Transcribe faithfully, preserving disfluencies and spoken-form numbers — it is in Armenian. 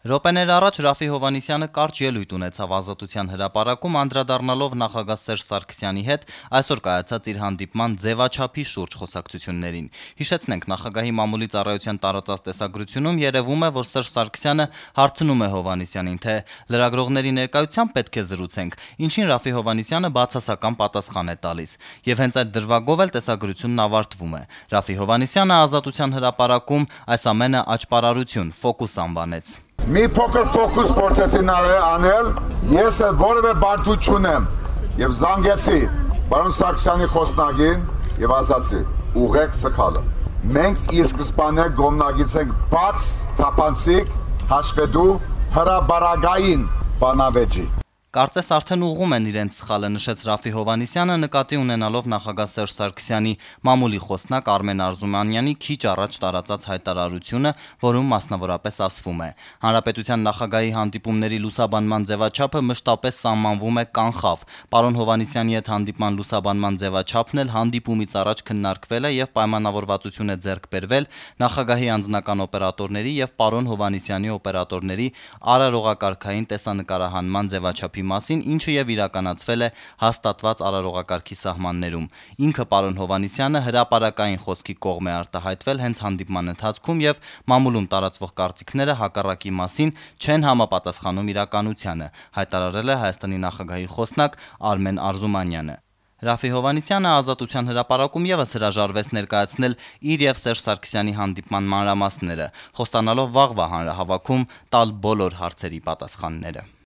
Րոպեներ առաջ Ռաֆի Հովհաննիսյանը կարճ ելույթ ունեցավ Ազատության հրապարակում, անդրադառնալով նախագահ Սերժ Սարգսյանի հետ այսօր կայացած իր հանդիպման ձևաչափի շուրջ խոսակցություններին։ Հիշեցնենք, նախագահի մամուլի ծառայության տարածած տեսագրությունում երևում է, որ Սերժ Սարգսյանը հարցնում է Հովհաննիսյանին, թե լրագրողների ներկայությամբ պետք է զրուցենք, ինչին Ռաֆի Հովհաննիսյանը բացասական պատասխան է տալիս։ Եվ հենց այդ դրվագով էլ տեսագրությունն ավարտվում է։ Ռաֆի Հովհաննիսյանը Ազատության հրապարակում այս ամենը աճպարարություն, ֆոկուս անվանեց։ Մի փոքր ֆոկուս process-ին անել, ես որևէ բարդու չունեմ եւ զանգեցի պարոն Սարգսյանի խոսնագին եւ ասացի՝ ուղեք սխալը։ Մենք ի սկզբանե գոմնագից ենք բաց թափանցիկ հաշվետու հրաբարագային բանավեճի։ Կարծես արդեն ուղղում են իրենց սխալը, նշեց Ռաֆի Հովհաննիսյանը, նկատի ունենալով նախագահ Սերժ Սարգսյանի մամուլի խոսնակ Արմեն Արզումանյանի քիչ առաջ տարածած հայտարարությունը, որում մասնավորապես ասվում է. Հանրապետության նախագահի հանդիպումների լուսաբանման ձևաչափը մշտապես սահմանվում է կանխավ։ Պարոն Հովհաննիսյանի հետ հանդիպման լուսաբանման ձևաչափն էլ հանդիպումից առաջ քննարկվել է եւ պայմանավորվածություն է ձեռք բերվել նախագահի անձնական օպերատորների եւ պարոն Հովհաննիսյանի օպերատորների արարողակարգային տեսանկարահանման ձևաչափի մասին, ինչը եւ իրականացվել է հաստատված արարողակարգի սահմաններում։ Ինքը պարոն Հովհաննիսյանը հրապարակային խոսքի կողմ է արտահայտվել հենց հանդիպման ընթացքում եւ մամուլում տարածվող կարծիքները հակառակի մասին չեն համապատասխանում իրականությանը, հայտարարել է Հայաստանի նախագահի խոսնակ Արմեն Արզումանյանը։ Ռաֆի Հովհաննիսյանը Ազատության հրապարակում եւս հրաժարվեց ներկայացնել իր եւ Սերժ Սարգսյանի հանդիպման մանրամասները, խոստանալով վաղվա հանրահավաքում տալ բոլոր հարցերի պատասխանները։